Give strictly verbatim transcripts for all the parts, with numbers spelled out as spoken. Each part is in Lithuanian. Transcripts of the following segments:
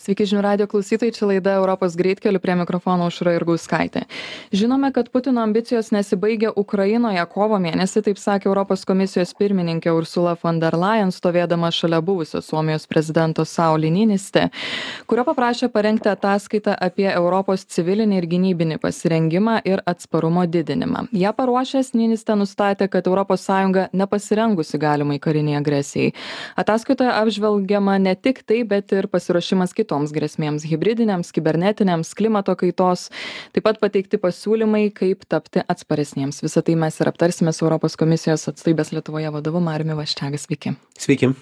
Sveiki žinių radio klausytojai, čia laida Europos greitkeliu, prie mikrofono Aušra Jurgauskaitė. Žinome, kad Putino ambicijos nesibaigia Ukrainoje. Kovo mėnesį, taip sakė Europos komisijos pirmininkė Ursula von der Leyen, stovėdama šalia buvusio Suomijos prezidento Sauli Niinistö, kurio paprašė parengti ataskaitą apie Europos civilinį ir gynybinį pasirengimą ir atsparumo didinimą. Ja paruošęs, Niinistö nustatė, kad Europos Sąjunga nepasirengusi galimai kariniai agresijai. Ataskaitoje apžvelgiama ne tik tai, bet ir pasiruošimas kitoms grėsmėms - hibridinėms, kibernetinėms, klimato kaitos, taip pat pateikti pasiūlymai, kaip tapti atsparesniems. Visą tai mes ir aptarsime su Europos komisijos atstovybės Lietuvoje vadovu Mariumi Vaščega. Sveiki. Sveiki.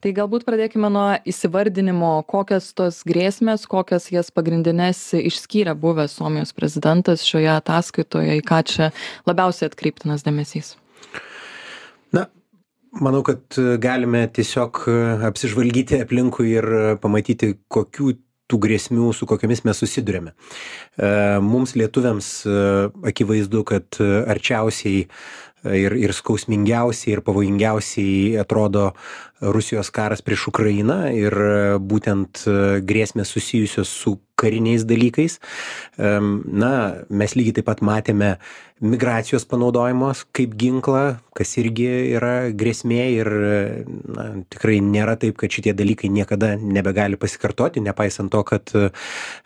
Tai galbūt pradėkime nuo įsivardinimo, kokias tos grėsmės, kokias jas pagrindinės išskyrė buvęs Suomijos prezidentas šioje ataskaitoje, į ką čia labiausiai atkreiptinas dėmesys. Na, manau, kad galime tiesiog apsižvalgyti aplinkui ir pamatyti, kokių tų grėsmių, su kokiamis mes susidurėme. Mums lietuviams akivaizdu, kad arčiausiai ir, ir skausmingiausiai ir pavojingiausiai atrodo Rusijos karas prieš Ukrainą ir būtent grėsmės susijusios su kariniais dalykais. Na, mes lygiai taip pat matėme migracijos panaudojimos kaip ginklą, kas irgi yra grėsmė ir na, tikrai nėra taip, kad šitie dalykai niekada nebegali pasikartoti, nepaisant to, kad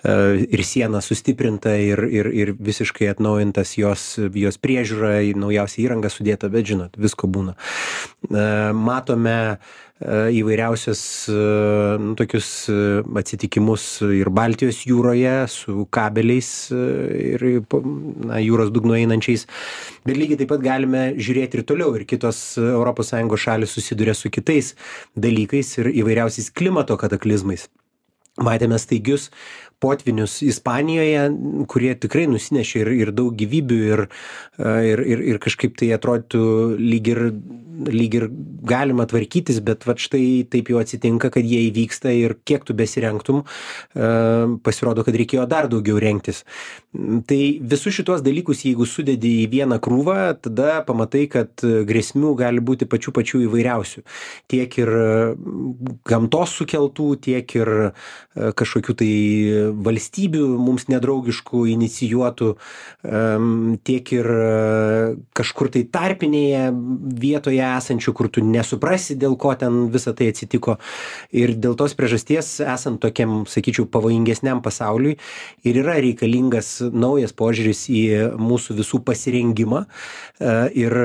ir siena sustiprinta ir, ir, ir visiškai atnaujintas jos, jos priežiūra, naujausia įranga sudėta, bet žinot, visko būna. Matome įvairiausias nu, tokius atsitikimus ir Baltijos jūroje su kabeliais ir na, jūros dugno einančiais, bet lygiai taip pat galime žiūrėti ir toliau, ir kitos Europos Sąjungos šalys susiduria su kitais dalykais ir įvairiausiais klimato kataklizmais. Matėme staigius potvinius Ispanijoje, kurie tikrai nusinešė ir, ir daug gyvybių ir, ir, ir, ir kažkaip tai atrodytų lyg ir, lyg ir galima tvarkytis, bet vat štai taip jau atsitinka, kad jie įvyksta ir kiek tu besirengtum, pasirodo, kad reikėjo dar daugiau rengtis. Tai visus šitos dalykus, jeigu sudedi į vieną krūvą, tada pamatai, kad grėsmių gali būti pačių pačių įvairiausių. Tiek ir gamtos sukeltų, tiek ir kažkokių tai valstybių mums nedraugiškų inicijuotų, tiek ir kažkur tai tarpinėje vietoje esančių, kur tu nesuprasi, dėl ko ten visą tai atsitiko. Ir dėl tos priežasties, esant tokiam, sakyčiau, pavojingesniam pasauliui, ir yra reikalingas naujas požiūris į mūsų visų pasirengimą ir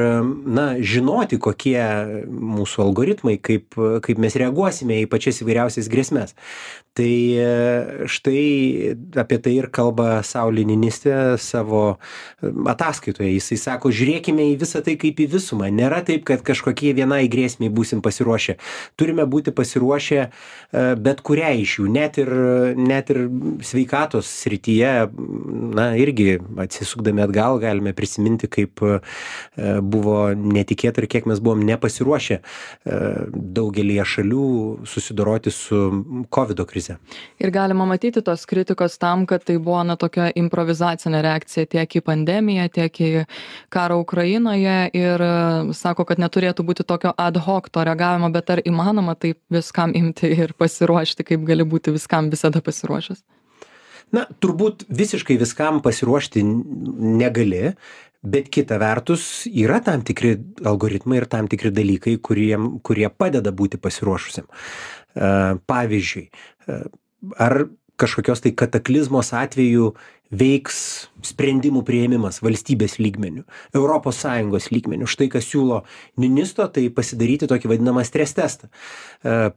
na, žinoti, kokie mūsų algoritmai, kaip, kaip mes reaguosime į pačias įvairiausias grėsmes. Tai štai apie tai ir kalba Sauli Niinistö savo ataskaitoje. Jisai sako, žiūrėkime į visą tai kaip į visumą. Nėra taip, kad kažkokie vienai grėsmiai būsim pasiruošę. Turime būti pasiruošę bet kurią iš jų, net ir, net ir sveikatos srityje. Na, irgi atsisukdami atgal galime prisiminti, kaip buvo netikėta ir kiek mes buvom nepasiruošę daugelį šalių susidoroti su kovido krize. Ir galima matyti tos kritikos tam, kad tai buvo na, tokia improvizacinė reakcija tiek į pandemiją, tiek į karą Ukrainoje ir sako, kad neturėtų būti tokio ad hoc to reagavimo, bet ar įmanoma taip viskam imti ir pasiruošti, kaip gali būti viskam visada pasiruošęs? Na, turbūt visiškai viskam pasiruošti negali, bet kita vertus yra tam tikri algoritmai ir tam tikri dalykai, kurie, kurie padeda būti pasiruošusiam. Pavyzdžiui, ar kažkokios tai kataklizmos atveju veiks sprendimų priėmimas valstybės lygmenių, Europos Sąjungos lygmenių. Štai kas siūlo Niinistö, tai pasidaryti tokį vadinamą stres testą.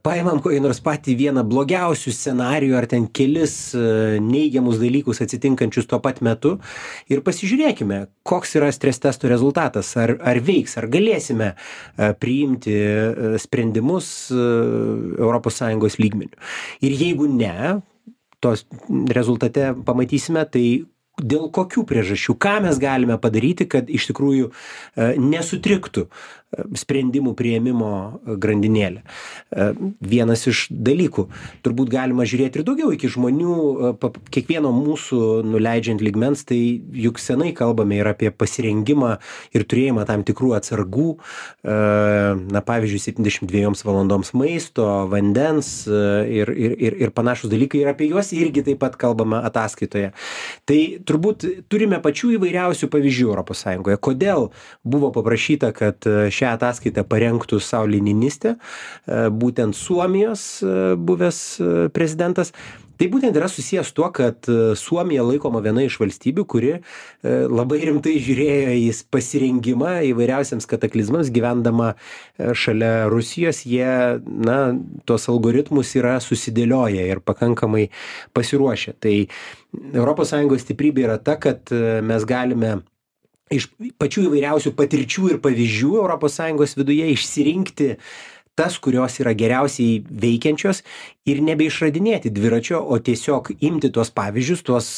Paimam kokį nors patį vieną blogiausių scenarijų ar ten kelis neigiamus dalykus atsitinkančius tuo pat metu ir pasižiūrėkime, koks yra stres testo rezultatas, ar, ar veiks, ar galėsime priimti sprendimus Europos Sąjungos lygmenių. Ir jeigu ne, tos rezultate pamatysime, tai dėl kokių priežasčių, ką mes galime padaryti, kad iš tikrųjų nesutriktų sprendimų priėmimo grandinėlę. Vienas iš dalykų, turbūt galima žiūrėti ir daugiau iki žmonių, kiekvieno mūsų nuleidžiant lygmens, tai juk senai kalbame ir apie pasirengimą ir turėjimą tam tikrų atsargų, na pavyzdžiui, septyniasdešimt dviejoms valandoms maisto, vandens ir, ir, ir, ir panašus dalykai, ir apie juos irgi taip pat kalbame ataskaitoje. Tai turbūt turime pačių įvairiausių pavyzdžių Europos Sąjungoje. Kodėl buvo paprašyta, kad šią ataskaitą parengtų Sauli Niinistö, būtent Suomijos buvęs prezidentas. Tai būtent yra susijęs tuo, kad Suomija laikoma viena iš valstybių, kuri labai rimtai žiūrėjo į pasirengimą įvairiausiams kataklizmams, gyvendama šalia Rusijos. Jie, na, tuos algoritmus yra susidėlioję ir pakankamai pasiruošę. Tai Europos Sąjungos stiprybė yra ta, kad mes galime iš pačių įvairiausių patirčių ir pavyzdžių Europos Sąjungos viduje išsirinkti tas, kurios yra geriausiai veikiančios ir nebeišradinėti dviračio, o tiesiog imti tuos pavyzdžius, tuos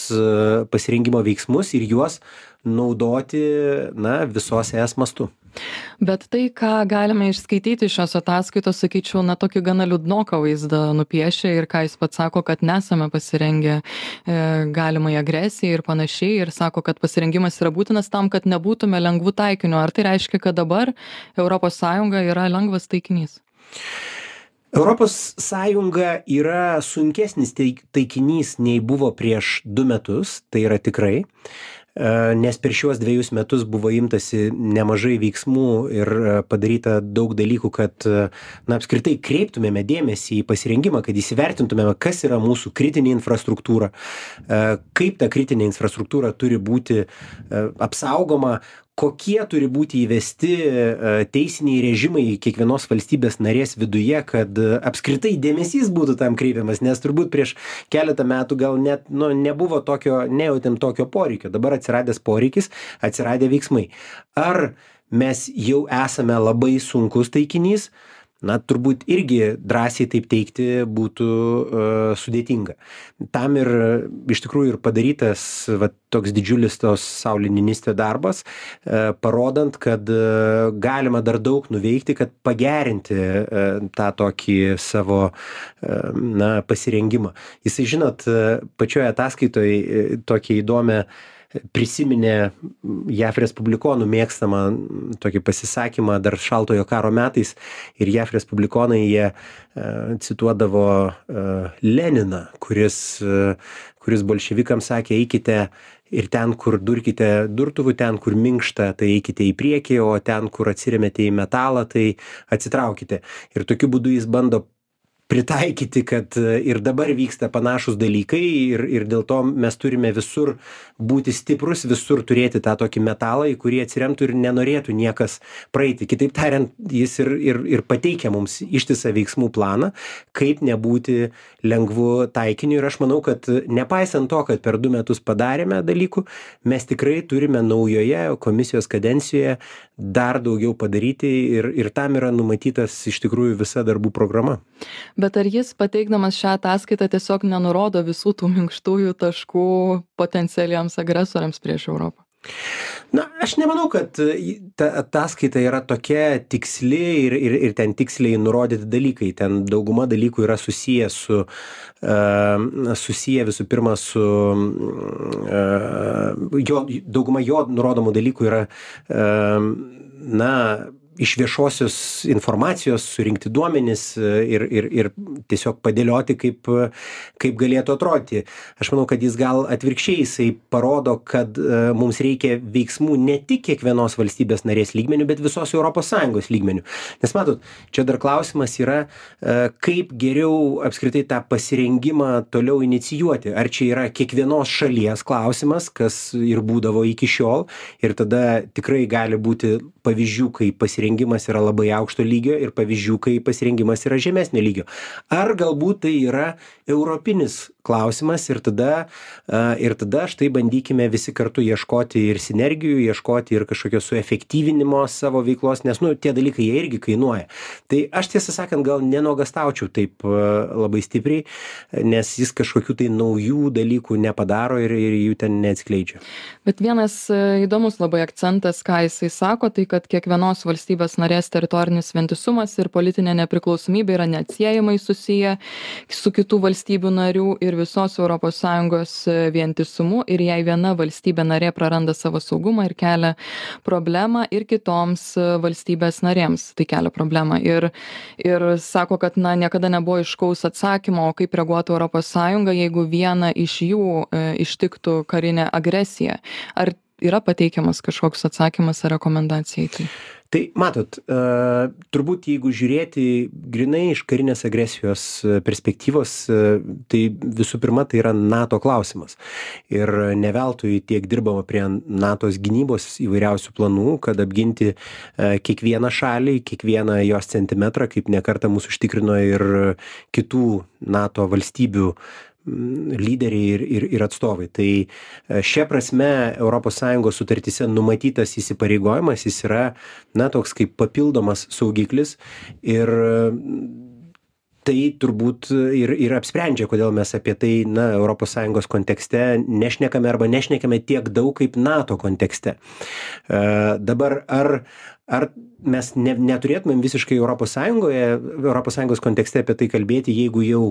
pasirengimo veiksmus ir juos naudoti, na, visos es mastu. Bet tai, ką galime išskaityti iš šios ataskaitos, sakyčiau, na, tokį gana liūdnoką vaizdą nupiešia ir ką jis pats sako, kad nesame pasirengę e, galimai agresijai ir panašiai, ir sako, kad pasirengimas yra būtinas tam, kad nebūtume lengvų taikinių. Ar tai reiškia, kad dabar Europos Sąjunga yra lengvas taikinys? Europos Sąjunga yra sunkesnis taikinys nei buvo prieš du metus, tai yra tikrai, nes per šiuos dviejus metus buvo imtasi nemažai veiksmų ir padaryta daug dalykų, kad, na, apskritai kreiptumėme dėmesį į pasirengimą, kad įsivertintumėme, kas yra mūsų kritinė infrastruktūra, kaip ta kritinė infrastruktūra turi būti apsaugoma, kokie turi būti įvesti teisiniai režimai kiekvienos valstybės narės viduje, kad apskritai dėmesys būtų tam kreipiamas, nes turbūt prieš keletą metų gal net, nu, nebuvo tokio, nejautėm tokio poreikio. Dabar atsiradęs poreikis, atsiradė veiksmai. Ar mes jau esame labai sunkus taikinys? Na, turbūt irgi drąsiai taip teikti būtų uh, sudėtinga. Tam ir iš tikrųjų ir padarytas va, toks didžiulis tos Sauli Niinistö darbas, uh, parodant, kad uh, galima dar daug nuveikti, kad pagerinti uh, tą tokį savo uh, na, pasirengimą. Jisai, žinot, uh, pačioje ataskaitoje uh, tokį įdomią prisiminė J A V respublikonų mėgstamą tokį pasisakymą dar šaltojo karo metais, ir J A V respublikonai jie uh, cituodavo uh, Leniną, kuris, uh, kuris bolševikams sakė, eikite ir ten, kur durkite durtuvų, ten, kur minkšta, tai eikite į priekį, o ten, kur atsiremėte į metalą, tai atsitraukite. Ir tokiu būdu jis bando pritaikyti, kad ir dabar vyksta panašus dalykai ir, ir dėl to mes turime visur būti stiprus, visur turėti tą tokį metalą, į kurį atsiremtų ir nenorėtų niekas praeiti. Kitaip tariant, jis ir, ir, ir pateikia mums ištisą veiksmų planą, kaip nebūti lengvu taikiniu. Ir aš manau, kad nepaisant to, kad per du metus padarėme dalykų, mes tikrai turime naujoje komisijos kadencijoje dar daugiau padaryti ir, ir tam yra numatytas iš tikrųjų visa darbų programa. Bet ar jis, pateikdamas šią ataskaitą, tiesiog nenurodo visų tų minkštųjų taškų potencialiems agresoriams prieš Europą? Na, aš nemanau, kad ta ataskaita yra tokia tiksli ir, ir, ir ten tiksliai nurodyti dalykai. Ten dauguma dalykų yra susiję su, uh, susiję visų pirma su, uh, jo, dauguma jo nurodomų dalykų yra, uh, na, iš viešosios informacijos surinkti duomenis ir, ir, ir tiesiog padėlioti, kaip, kaip galėtų atrodyti. Aš manau, kad jis gal atvirkščiai, jisai parodo, kad uh, mums reikia veiksmų ne tik kiekvienos valstybės narės lygmenių, bet visos Europos Sąjungos lygmenių. Nes matot, čia dar klausimas yra, uh, kaip geriau apskritai tą pasirengimą toliau inicijuoti. Ar čia yra kiekvienos šalies klausimas, kas ir būdavo iki šiol, ir tada tikrai gali būti pavyzdžių, kai pasirengimas yra labai aukšto lygio ir pavyzdžių, kai pasirengimas yra žemesnio lygio. Ar galbūt tai yra europinis klausimas ir tada, ir tada štai bandykime visi kartu ieškoti ir sinergijų, ieškoti ir kažkokio suefektyvinimo savo veiklos, nes, nu, tie dalykai jie irgi kainuoja. Tai aš tiesą sakant gal nenogastaučiau taip labai stipriai, nes jis kažkokių tai naujų dalykų nepadaro ir, ir jų ten neatskleidžia. Bet vienas įdomus labai akcentas, ką jisai sako, tai kad kiekvienos valstybės valstybės narės teritorinis vientisumas ir politinė nepriklausomybė yra neatsiejamai susiję su kitų valstybių narių ir visos Europos Sąjungos vientisumu, ir jei viena valstybė narė praranda savo saugumą ir kelia problemą ir kitoms valstybės narėms, tai kelia problemą. Ir, ir sako, kad na, niekada nebuvo aiškaus atsakymo, kaip reaguotų Europos Sąjunga, jeigu viena iš jų e, ištiktų karinė agresija. Ar yra pateikiamas kažkoks atsakymas ar rekomendacija į tai? Tai matot, uh, turbūt jeigu žiūrėti grinai iš karinės agresijos perspektyvos, uh, tai visų pirma tai yra NATO klausimas. Ir ne veltui tiek dirbama prie NATO's gynybos įvairiausių planų, kad apginti uh, kiekvieną šalį, kiekvieną jos centimetrą, kaip nekartą mūsų užtikrino ir kitų NATO valstybių lyderiai ir, ir, ir atstovai. Tai šia prasme Europos Sąjungos sutartyse numatytas įsipareigojimas, jis yra, na, toks kaip papildomas saugiklis ir tai turbūt ir, ir apsprendžia, kodėl mes apie tai, na, Europos Sąjungos kontekste nešnekame arba nešnekame tiek daug kaip NATO kontekste. Uh, dabar ar Ar mes ne, neturėtumėm visiškai Europos Sąjungoje, Europos Sąjungos kontekste apie tai kalbėti, jeigu jau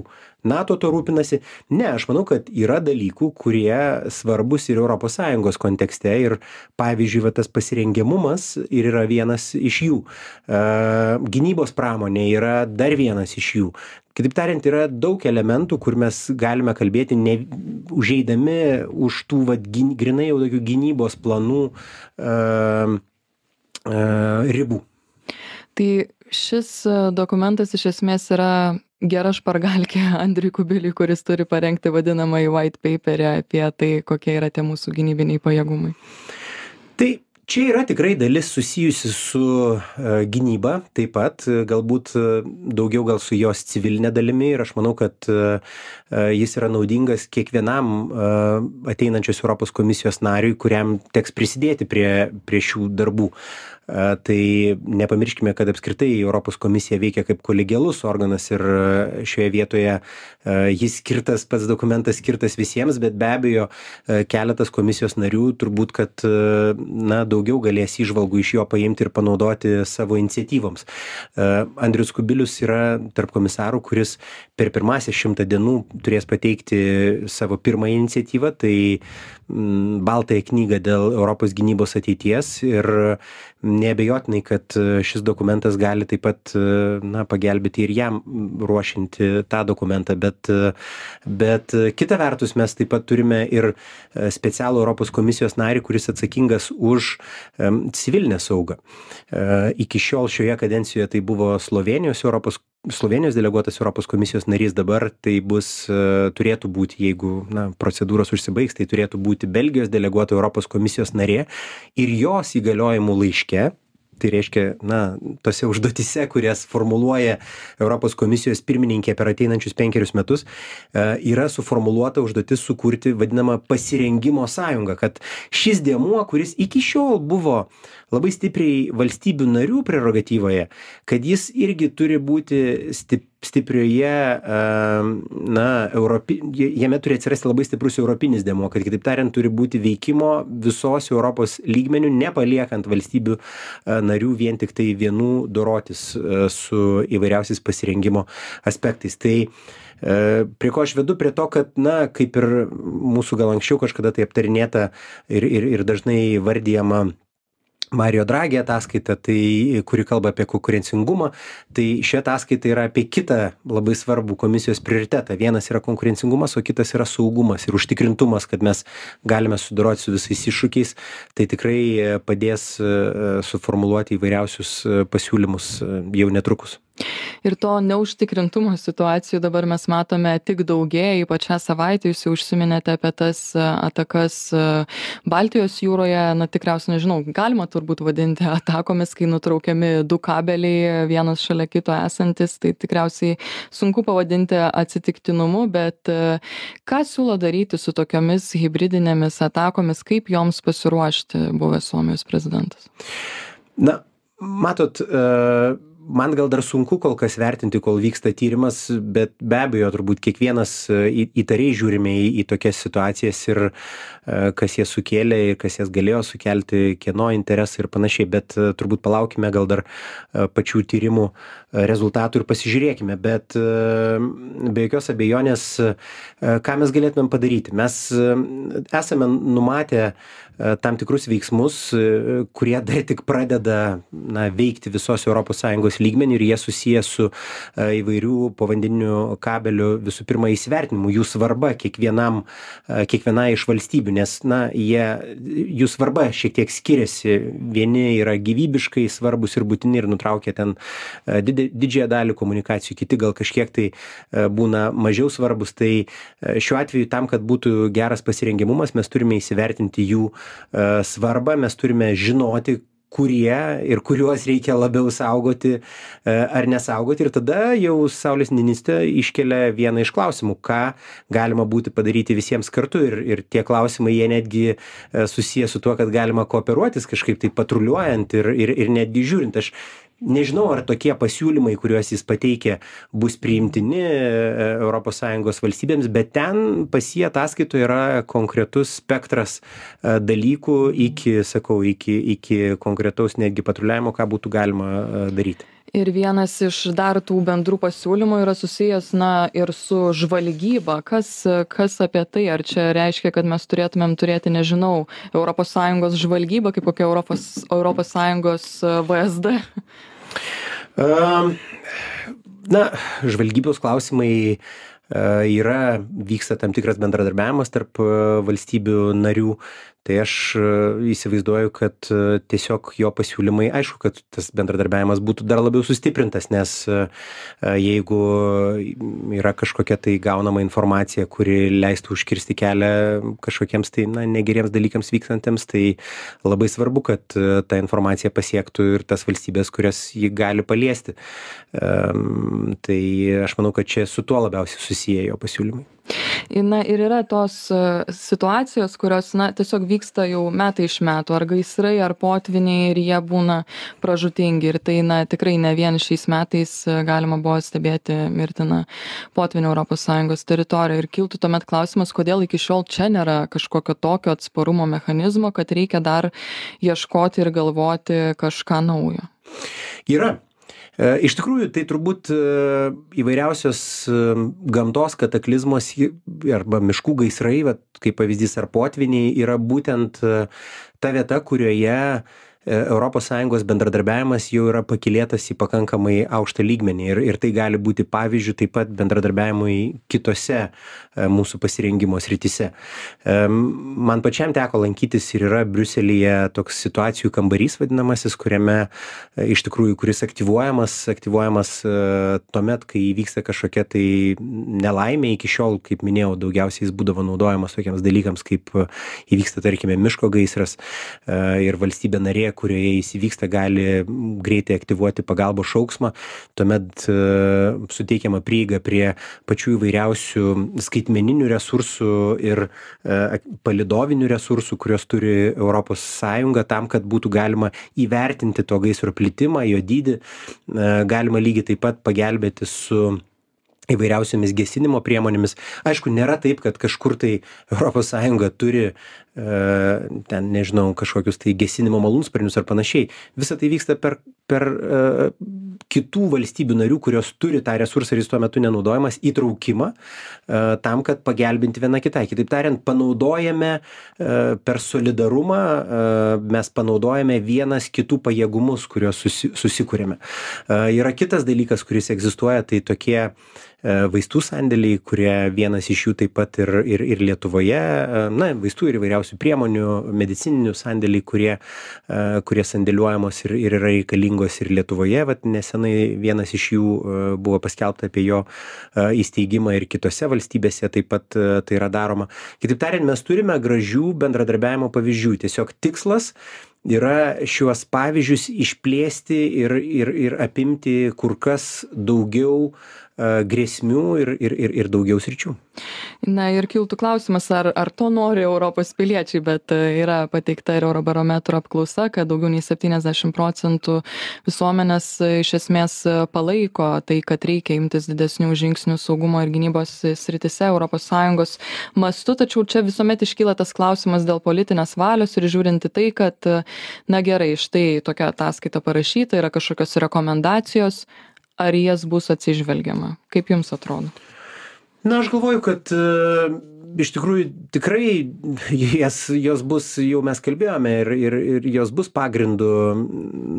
NATO to rūpinasi? Ne, aš manau, kad yra dalykų, kurie svarbus ir Europos Sąjungos kontekste ir, pavyzdžiui, va, tas pasirengiamumas ir yra vienas iš jų. Uh, gynybos pramonė yra dar vienas iš jų. Kitaip tariant, yra daug elementų, kur mes galime kalbėti, ne, užeidami už tų va, gyn, grinai jau tokių gynybos planų uh, ribų. Tai šis dokumentas iš esmės yra gera špargalkė Andriui Kubiliui, kuris turi parengti vadinamąjį white paperį apie tai, kokie yra tie mūsų gynybiniai pajėgumai. Tai čia yra tikrai dalis susijusi su uh, gynyba, taip pat uh, galbūt uh, daugiau gal su jos civilinė dalimi ir aš manau, kad uh, uh, jis yra naudingas kiekvienam uh, ateinančios Europos komisijos nariui, kuriam teks prisidėti prie, prie šių darbų. Uh, tai nepamirškime, kad apskritai Europos komisija veikia kaip kolegialus organas ir uh, šioje vietoje uh, jis skirtas, pats dokumentas skirtas visiems, bet be abejo uh, keletas komisijos narių turbūt, kad uh, na, daugiau galės įžvalgų iš jo paimti ir panaudoti savo iniciatyvoms. Uh, Andrius Kubilius yra tarp komisarų, kuris per pirmąsias šimtą dienų turės pateikti savo pirmąją iniciatyvą, tai mm, baltąją knygą dėl Europos gynybos ateities ir neabejotinai, kad šis dokumentas gali taip pat, na, pagelbėti ir jam ruošinti tą dokumentą, bet, bet kita vertus mes taip pat turime ir specialų Europos komisijos narį, kuris atsakingas už um, civilinę saugą. Uh, iki šiol šioje kadencijoje tai buvo Slovenijos Europos Slovenijos deleguotas Europos komisijos narys, dabar tai bus, uh, turėtų būti, jeigu na, procedūros užsibaigs, tai turėtų būti Belgijos deleguota Europos komisijos narė ir jos įgaliojimų laiške, tai reiškia, na, tose užduotise, kurias formuluoja Europos komisijos pirmininkė per ateinančius penkerius metus, uh, yra suformuluota užduotis sukurti vadinamą pasirengimo sąjungą, kad šis dėmuo, kuris iki šiol buvo labai stipriai valstybių narių prerogatyvoje, kad jis irgi turi būti stip, stiprioje, na, Europi, jame turi atsirasti labai stiprus europinis dėmuo, kad kitaip tariant turi būti veikimo visos Europos lygmenių, nepaliekant valstybių narių vien tik tai vienų dorotis su įvairiausiais pasirengimo aspektais. Tai prie ko aš vedu, prie to, kad, na, kaip ir mūsų gal anksčiau kažkada tai aptarinėta ir, ir, ir dažnai vardijama Mario Draghi ataskaita, tai, kuri kalba apie konkurencingumą, tai ši ataskaita yra apie kitą labai svarbų komisijos prioritetą. Vienas yra konkurencingumas, o kitas yra saugumas ir užtikrintumas, kad mes galime sudoroti su visais iššūkiais. Tai tikrai padės suformuluoti įvairiausius pasiūlymus jau netrukus. Ir to neužtikrintumo situacijų dabar mes matome tik daugėja, ypač šią savaitę jūs jau užsiminėte apie tas atakas Baltijos jūroje, na tikriausiai nežinau, galima turbūt vadinti atakomis, kai nutraukiami du kabeliai, vienas šalia kito esantis, tai tikriausiai sunku pavadinti atsitiktinumu, bet ką siūlo daryti su tokiomis hibridinėmis atakomis, kaip joms pasiruošti buvęs Suomijos prezidentas? Na, matot, uh... man gal dar sunku kol kas vertinti, kol vyksta tyrimas, bet be abejo, turbūt kiekvienas į, įtariai žiūrime į, į tokias situacijas ir kas jas sukėlė ir kas jas galėjo sukelti, kieno interesai ir panašiai, bet turbūt palaukime gal dar pačių tyrimų rezultatų ir pasižiūrėkime, bet be jokios abejonės, ką mes galėtumėm padaryti. Mes esame numatę tam tikrus veiksmus, kurie dar tik pradeda na, veikti visos Europos Sąjungos lygmenį ir jie susiję su įvairių povandeninių kabelių visų pirma įsivertinimu, jų svarba kiekvienam, kiekvienai iš valstybių, nes na, jie, jų svarba šiek tiek skiriasi. Vieni yra gyvybiškai svarbus ir būtini ir nutraukia ten didžiąją dalį komunikacijų, kiti gal kažkiek tai būna mažiau svarbus. Tai šiuo atveju tam, kad būtų geras pasirengimumas, mes turime įsivertinti jų svarbą, mes turime žinoti, kurie ir kuriuos reikia labiau saugoti ar nesaugoti. Ir tada jau Saulės ministrė iškelia vieną iš klausimų, ką galima būti padaryti visiems kartu. Ir, ir tie klausimai, jie netgi susiję su tuo, kad galima kooperuotis kažkaip tai patruliuojant ir, ir, ir netgi žiūrint. Aš nežinau, ar tokie pasiūlymai, kuriuos jis pateikė, bus priimtini Europos Sąjungos valstybėms, bet ten pas jį ataskaitoje yra konkretus spektras dalykų iki, sakau, iki, iki konkretaus netgi patruliavimo, ką būtų galima daryti. Ir vienas iš dar tų bendrų pasiūlymų yra susijęs, na, ir su žvalgyba. Kas, kas apie tai? Ar čia reiškia, kad mes turėtumėm turėti, nežinau, Europos Sąjungos žvalgybą, kaip kokia Europos, Europos Sąjungos V S D? Um, na, žvalgybos klausimai yra, vyksta tam tikras bendradarbiavimas tarp valstybių narių. Tai aš įsivaizduoju, kad tiesiog jo pasiūlymai, aišku, kad tas bendradarbiavimas būtų dar labiau sustiprintas, nes jeigu yra kažkokia tai gaunama informacija, kuri leistų užkirsti kelią kažkokiems tai na, negeriems dalykams vykstantiems, tai labai svarbu, kad ta informacija pasiektų ir tas valstybės, kurias ji gali paliesti. Tai aš manau, kad čia su tuo labiausiai susiję jo pasiūlymai. Na ir yra tos situacijos, kurios na, tiesiog vyksta jau metai iš metų, ar gaisrai, ar potviniai, ir jie būna pražūtingi. Ir tai na, tikrai ne vien šiais metais galima buvo stebėti mirtiną potvinių Europos Sąjungos teritorijoje. Ir kiltų tuomet klausimas, kodėl iki šiol čia nėra kažkokio tokio atsparumo mechanizmo, kad reikia dar ieškoti ir galvoti kažką naujo. Yra. Iš tikrųjų, tai turbūt įvairiausios gamtos kataklizmos arba miškų gaisrai, kaip pavyzdys ar potviniai, yra būtent ta vieta, kurioje Europos Sąjungos bendradarbiavimas jau yra pakilėtas į pakankamai aukštą lygmenį ir, ir tai gali būti pavyzdžių taip pat bendradarbiavimui kitose mūsų pasirengimo srityse. Man pačiam teko lankytis ir yra Briuselyje toks situacijų kambarys vadinamasis, kuriame iš tikrųjų, kuris aktyvuojamas, aktyvuojamas tuomet, kai įvyksta kažkokia tai nelaimė. Iki šiol, kaip minėjau, daugiausiai jis būdavo naudojamas tokiems dalykams, kaip įvyksta, tarkime, miško gaisras ir valstybė narė, kurioje jis įvyksta, gali greitai aktyvuoti pagalbos šauksmą, tuomet uh, suteikiama prieiga prie pačių įvairiausių skaitmeninių resursų ir uh, palidovinių resursų, kurios turi Europos Sąjunga, tam, kad būtų galima įvertinti to gaisro plitimą, jo dydį, uh, galima lygiai taip pat pagelbėti su įvairiausiamis gesinimo priemonėmis. Aišku, nėra taip, kad kažkur tai Europos Sąjunga turi ten, nežinau, kažkokius tai gesinimo malūnsparnius ar panašiai. Visa tai vyksta per, per uh, kitų valstybių narių, kurios turi tą resursą ir jis tuo metu nenaudojamas, įtraukimą uh, tam, kad pagelbinti viena kitai. Kitaip tariant, panaudojame uh, per solidarumą, uh, mes panaudojame vienas kitų pajėgumus, kuriuos susi, susikūrėme. Uh, yra kitas dalykas, kuris egzistuoja, tai tokie vaistų sandėliai, kurie vienas iš jų taip pat ir, ir, ir Lietuvoje, na, vaistų ir įvairiausių priemonių, medicininių sandėliai, kurie, kurie sandėliuojamos ir, ir yra reikalingos ir Lietuvoje. Vat nesenai vienas iš jų buvo paskelbta apie jo įsteigimą ir kitose valstybėse taip pat tai yra daroma. Kitaip tariant, mes turime gražių bendradarbiavimo pavyzdžių. Tiesiog tikslas yra šiuos pavyzdžius išplėsti ir, ir, ir apimti kur kas daugiau grėsmių ir, ir, ir, ir daugiau sričių. Na ir kiltų klausimas, ar, ar to nori Europos piliečiai, bet yra pateikta ir Eurobarometro apklausa, kad daugiau nei septyniasdešimt procentų visuomenės iš esmės palaiko tai, kad reikia imtis didesnių žingsnių saugumo ir gynybos sritise Europos Sąjungos mastu, tačiau čia visuomet iškyla tas klausimas dėl politinės valios ir žiūrinti tai, kad, na gerai, štai tokia ataskaita parašyta, yra kažkokios rekomendacijos, ar jas bus atsižvelgiama? Kaip jums atrodo? Na, aš galvoju, kad uh, iš tikrųjų tikrai jas, jos bus, jau mes kalbėjome, ir, ir, ir jos bus pagrindu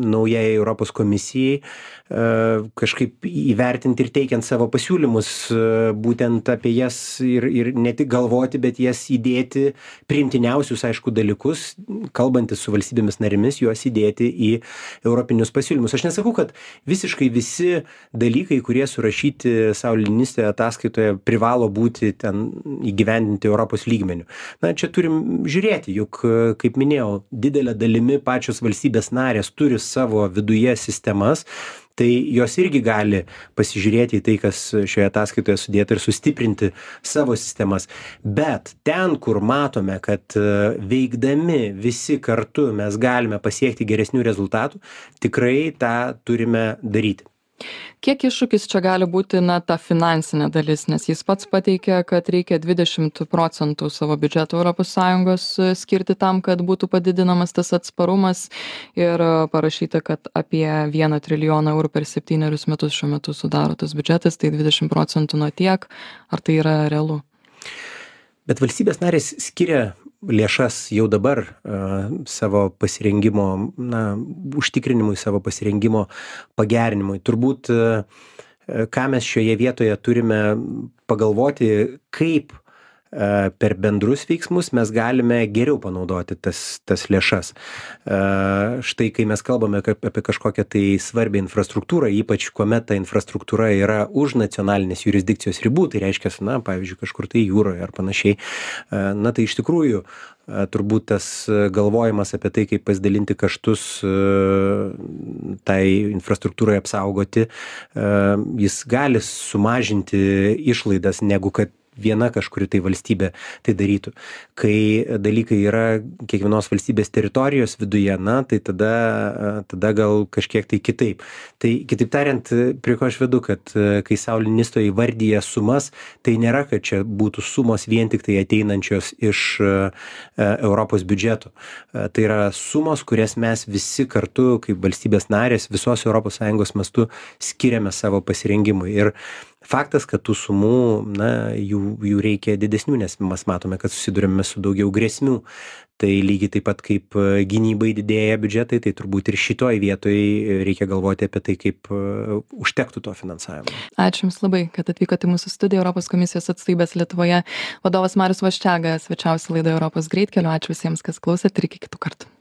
naujai Europos komisijai uh, kažkaip įvertinti ir teikiant savo pasiūlymus, uh, būtent apie jas ir, ir ne tik galvoti, bet jas įdėti priimtiniausius, aišku, dalykus, kalbantis su valstybėmis narėmis, juos įdėti į europinius pasiūlymus. Aš nesakau, kad visiškai visi dalykai, kurie surašyti Sauli-Niinistė ataskaitoje, privalo būti ten įgyvendinti Europos lygmenių. Na, čia turim žiūrėti, juk, kaip minėjau, didelė dalimi pačios valstybės narės turi savo viduje sistemas, tai jos irgi gali pasižiūrėti į tai, kas šioje ataskaitoje sudėta, ir sustiprinti savo sistemas. Bet ten, kur matome, kad veikdami visi kartu mes galime pasiekti geresnių rezultatų, tikrai tą turime daryti. Kiek iššūkis čia gali būti, na, ta finansinė dalis, nes jis pats pateikė, kad reikia dvidešimt procentų savo biudžeto Europos Sąjungos skirti tam, kad būtų padidinamas tas atsparumas, ir parašyta, kad apie vieną trilijoną eurų per septynerius metus šiuo metu sudaro tas biudžetas, tai dvidešimt procentų nuo tiek, ar tai yra realu? Bet valstybės narės skiria lėšas jau dabar uh, savo pasirengimo, na, užtikrinimui, savo pasirengimo pagerinimui. Turbūt, uh, ką mes šioje vietoje turime pagalvoti, kaip uh, per bendrus veiksmus mes galime geriau panaudoti tas, tas lėšas. Uh, štai, kai mes kalbame apie kažkokią tai svarbią infrastruktūrą, ypač kuomet ta infrastruktūra yra už nacionalinės jurisdikcijos ribų, tai reiškia, na, pavyzdžiui, kažkur tai jūroje ar panašiai, uh, na, tai iš tikrųjų turbūt tas galvojimas apie tai, kaip pasidalinti kaštus tai infrastruktūrai apsaugoti, jis gali sumažinti išlaidas, negu kad viena kažkuri tai valstybė tai darytų. Kai dalykai yra kiekvienos valstybės teritorijos viduje, na, tai tada, tada gal kažkiek tai kitaip. Tai kitaip tariant, prie ko aš vedu, kad kai Sauli-Niinistė įvardyja sumas, tai nėra, kad čia būtų sumos vien tik tai ateinančios iš Europos biudžeto. Tai yra sumos, kurias mes visi kartu, kaip valstybės narės, visos Europos Sąjungos mastu skiriame savo pasirengimui. Ir faktas, kad tų sumų, na, jų, jų reikia didesnių, nes mes matome, kad susidurime su daugiau grėsmių. Tai lygiai taip pat kaip gynybai didėja biudžetai, tai turbūt ir šitoj vietoj reikia galvoti apie tai, kaip užtektų to finansavimo. Ačiū Jums labai, kad atvykote į mūsų studiją. Europos komisijos atstovybės Lietuvoje vadovas Marius Vaščega svečiavosi laidoje Europos greitkeliu. Ačiū visiems, kas klausėt, ir iki kitų kartų.